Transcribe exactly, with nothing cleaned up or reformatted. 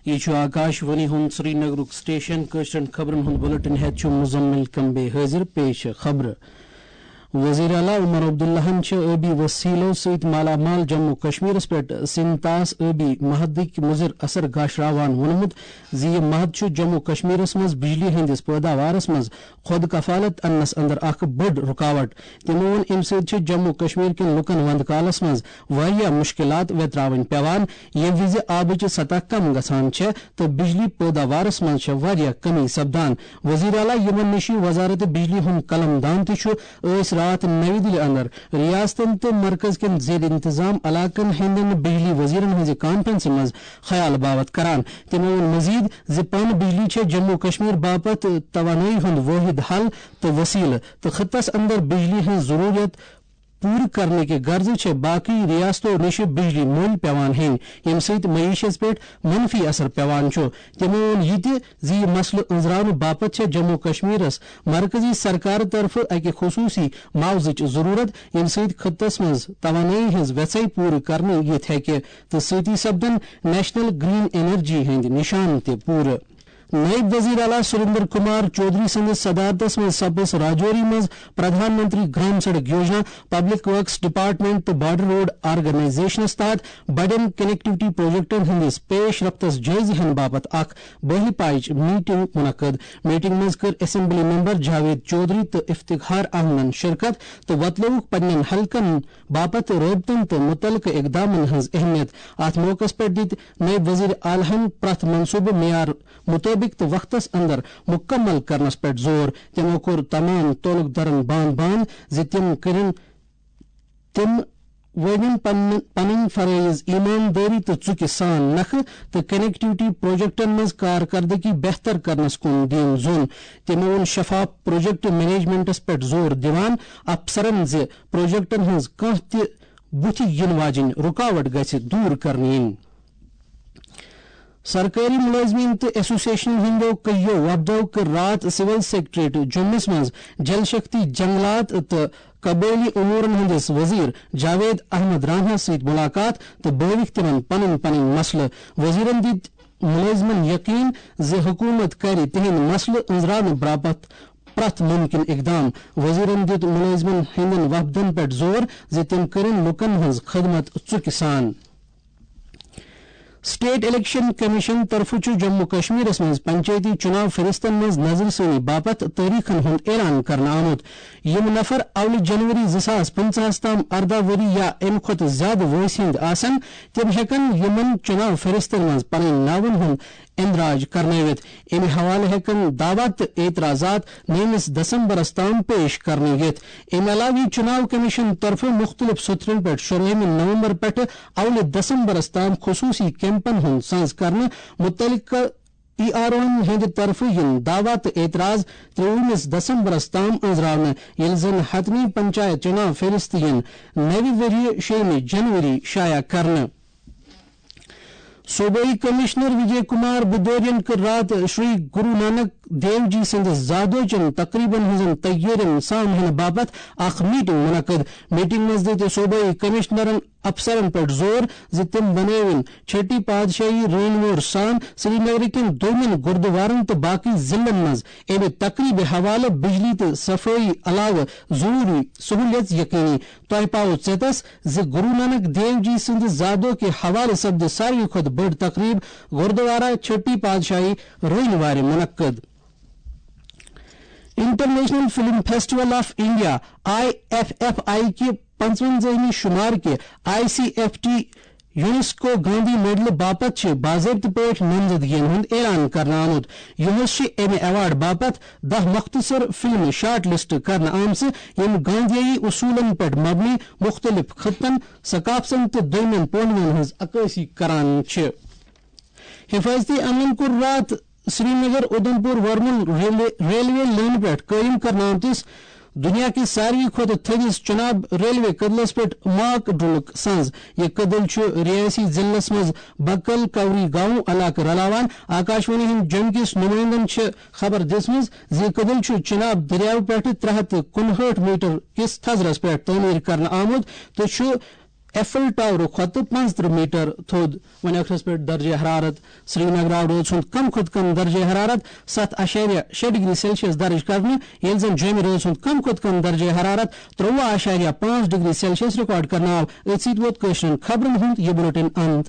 یہِ چھُ آکاش وانی ہُنٛد سرینگرُک سٹیشن۔ کٲشرٮ۪ن خبرن ہُنٛد بلیٹن ہٮ۪تھ چھُ مزمل کمبے حٲضِر۔ پیش خبرٕ۔ وزیر اعلیٰ عمر عبداللہن چھِ ٲبی وسیلو سۭتۍ مالا مال جموں کشمیرس پٮ۪ٹھ سنتاس ٲبی محدٕکۍ مُضر اثر گاشراوان ووٚنمُت زِ یہِ محد چھُ جموں کشمیرس منٛز بجلی ہٕنٛدِس پٲداوارس منٛز خود کفالت اننس اندر اکھ بٔڑ رکاوٹ۔ تِمو ووٚن، امہِ سۭتۍ چھِ جموں کشمیر کٮ۪ن لوٗکن وندٕ کالس منٛز واریاہ مُشکِلات ویتراوٕنۍ پٮ۪وان، ییٚمہِ وِزِ آبٕچ سطح کم گژھان چھےٚ تہٕ بجلی پٲداوارس منٛز چھےٚ واریاہ کمی سپدان۔ وزیر اعلیٰ یِمن نِش وزارت بجلی ہُنٛد قلم دان تہِ چھُ، ٲسۍ راتھ نَوِ دِلہِ اندر ریاستن تہٕ مرکز کٮ۪ن زیر انتظام علاقن ہٕنٛدٮ۪ن بجلی وزیرن ہٕنٛزِ کانفرنسہِ منٛز خیال باوت کران۔ تِمو ووٚن مزید زِ پن بجلی چھےٚ جموں کشمیر باپتھ توانٲیی ہُنٛد وٲحد حل تہٕ وسیلہٕ، تہٕ خطس اندر بجلی ہٕنٛز ضروٗرت پوٗرٕ کرنہٕ کہِ غرضہٕ چھےٚ باقٕے ریاستو نِش بجلی مٔلۍ پٮ۪وان ہیٚنۍ، ییٚمہِ سۭتۍ معیشس پٮ۪ٹھ منفی اثر پٮ۪وان چھُ۔ تِمو ووٚن یہِ تہِ زِ یہِ مسلہٕ أنٛزراونہٕ باپتھ چھےٚ جموں کشمیرس مرکزی سرکار طرفہٕ اکہِ خصوٗصی معاوضٕچ ضروٗرت، ییٚمہِ سۭتۍ خطس منٛز توانٲیی ہٕنٛز وٮ۪ژھے پوٗرٕ کرنہٕ یِتھ ہیٚکہِ تہٕ سۭتی سپدن نیشنل گرین انرجی ہٕنٛدۍ نشانہٕ تہِ پوٗرٕ۔ نائب وزیر اعلیٰ سریندر کمار چودھری سٕنٛدِس صدارتس منٛز سپٕز راجوری منٛز پردھان منتری گرام سڑک یوجنا، پبلک ورکس ڈپارٹمنٹ تہٕ بارڈر روڈ آرگنائزیشنس تحت بڑٮ۪ن کنیکٹیوٹی پروجیکٹن ہٕنٛدِس پیش رفتس جٲیزٕ ہینہٕ باپتھ اکھ بٲہی پایچ میٹنگ منعقد۔ میٹنگ منٛز کٔر اسمبلی ممبر جاوید چودھری تہٕ افتخار احمدن شرکت تہٕ وۄتلٲوُکھ پننٮ۪ن حلقن باپتھ رٲبطن تہٕ متعلقہٕ اقدامن ہٕنٛز اہمیت۔ اتھ موقعس پٮ۪ٹھ دِتۍ نائب وزیر اعلیٰ ہن پرٛٮ۪تھ منصوبہٕ معیار مطٲبق تہٕ وقتس اندر مکمل کرنس پٮ۪ٹھ زور۔ تِمو کوٚر تمام تعلق دارن باند باند زِ تِم کٔرِن، تِم وٲوِن پنن-، پنٕنۍ فرٲیض ایماندٲری تہٕ ژُکہِ سان نکھٕ تہٕ کنیکٹیوٹی پروجیکٹن منٛز کارکردگی بہتر کرنس کُن دِیُن زوٚن۔ تِمو ووٚن شفاف پروجیکٹ مینجمنٹس پٮ۪ٹھ زور دِوان افسرن زِ پروجیکٹن ہٕنٛز کانٛہہ تہِ بُتھِ یِنہٕ واجیٚنۍ رُکاوٹ گژھِ دوٗر کرنہٕ یِنۍ۔ سرکٲری مُلٲزمیٖن تہٕ ایسوسیشن ہٕنٛدیو کٔہیو وفدو کٔر راتھ سول سیکرٹریٹ جوٚمِس منٛز جل شکتی، جنگلات تہٕ قبٲئلی امورن ہٕنٛدِس وزیر جاوید احمد راناہس سۭتۍ مُلاقات تہٕ بٲوِکھ تِمن پنٕنۍ پنٕنۍ مسلہٕ۔ وزیرن دِتۍ مُلٲزمن یقین زِ حکوٗمت کرِ تِہنٛدۍ مسلہٕ أنٛزراونہٕ باپتھ پرٛٮ۪تھ مُمکِن اقدام۔ وزیرن دِیُت مُلٲزمن ہٕنٛدٮ۪ن وفدن پٮ۪ٹھ زور زِ تِم کٔرِن لوٗکن ہٕنٛز خدمت ژُکہِ سان۔ سٹیٹ الیکشن کمیشن طرفہٕ چھُ جموں کشمیرس منٛز پنچایتی چُناو فہرستن منٛز نظرِ ثٲنی باپتھ تٲریخن ہُنٛد اعلان کرنہٕ آمُت۔ یِم نفر اولہِ جنوری زٕ ساس پٕنٛژٕہس تام ارداہ ؤری یا اَمہِ کھۄتہٕ زِیٛادٕ وٲنٛسہِ ہٕنٛدۍ آسن، تِم ہٮ۪کن یِمن چُناو فہرستن منٛز پنٕنۍ ناون ہُنٛد اندراج کرنٲوِتھ۔ اَمہِ حوالہٕ ہٮ۪کن دعویٰ تہٕ اعتراضات نٔومِس دسمبرس تام پیش کرنہٕ یِتھ۔ اَمہِ علاوٕ یِیہِ چُناو کمیشن طرفہٕ مُختٔلِف سوٚتھرن پٮ۪ٹھ شُراہمہِ نومبر پٮ۪ٹھٕ اولہِ دسمبرس تام خصوٗصی کیمپن ہُنٛد سنز کرنہٕ۔ مُتعلقہٕ ای آر اوہن ہٕنٛدِ طرفہٕ یِن دعویٰ تہٕ اعتراض ترٛووُہمِس دسمبرس تام أنٛزراونہٕ، ییٚلہِ زن حتمی پنچایت چُناو فہرست یِن نوِ ؤرِیہِ شیٚیِمہِ جنوری شایع کرنہٕ۔ صوبٲئی کمشنر وجے کمار بھدوریَن کٔر راتھ شری گرو نانک دیو جی سٕنٛدِس زادوچن تقریبن ہٕنٛزن تیٲرین سام ہینہٕ باپتھ اکھ میٹنگ منعقد۔ میٹنگ منٛز دِتۍ صوبٲئی کمشنرن افسرن پٮ۪ٹھ زور زِ تِم بنٲوِن چھٹی پادشاہی رٲنۍ وور سان سری نگرٕ کٮ۪ن دوٚیمٮ۪ن گردوارن تہٕ باقی ضلعن منٛز اَمہِ تقریبہِ حوالہٕ بجلی تہٕ صفٲیی علاوٕ ضروٗری سہوٗلیژ یقینی۔ تۄہہِ پاوو ژیتس زِ گرو نانک دیو جی سٕنٛدِ زادو کہِ حوالہٕ سپدِ ساروی کھۄتہٕ بٔڑ تقریب گردوارہ چھٹی پادشاہی رٲنۍ وارِ منعقد۔ International film festival of India, I F F I کہِ پنٛژوَنٛزٲہمہِ شمار کہِ I C F T UNESCO Gandhi میڈلہٕ باپتھ چھِ باضٲبطہٕ پٲٹھۍ نامزدگین ہُنٛد اعلان کرنہٕ آمُت۔ یُہس چھِ امہِ ایوارڈ باپتھ دَہ مختصر فلمہٕ شارٹ لسٹ کرنہٕ آمژٕ، یِم گاندھیائی اصوٗلن پٮ۪ٹھ مبنی مُختٔلِف خطن، ثقافتن تہٕ دوٚیمٮ۪ن پہلوَن ہٕنٛز عکٲسی کران چھِ۔ حفاظتی عملن کوٚر راتھ سرینگر اودھمپور ورمُل ریلوے، ریلوے لٲنہِ پٮ۪ٹھ قٲیِم کرنہٕ آمتِس دنیا کِس ساروی کھۄتہٕ تھٔدِس چناب ریلوے کدلس پٮ۪ٹھ ماک ڈُلُک سنز۔ یہِ کدل چھُ ریاسی ضلعس منٛز بکل کوری گاؤں علاقہٕ رلاوان۔ آکاشوانی ہٕنٛدۍ جوٚمہِ کِس نُمٲیندن چھِ خبر دِژمٕژ زِ یہِ کدل چھُ چناب دٔریاو پٮ۪ٹھٕ ترٛےٚ ہَتھ تہٕ کُنہٲٹھ میٹر کِس تھزرس پٮ۪ٹھ تعمیٖر کرنہٕ آمُت تہٕ چھُ ایفل ٹاورٕ کھۄتہٕ پانٛژترٕٛہ میٹر تھوٚد۔ وۄنۍ ٲخرس پٮ۪ٹھ درجہ حرارت۔ سرینگرٕ آو رٲژ ہُنٛد کم کھۄتہٕ کم درجہ حرارت ستھ اعشاریہ شےٚ ڈگری سیلسیس درج کرنہٕ، ییٚلہِ زن جوٚمہِ رٲژ ہُنٛد کم کھۄتہٕ کم درجہ حرارت ترٛوٚوُہ اعشاریہ پانٛژھ ڈگری سیلسیس ریکارڈ کرنہٕ آو۔ أتھۍ سۭتۍ ووت کٲشرٮ۪ن خبرن ہُنٛد یہِ بُلٹن اند۔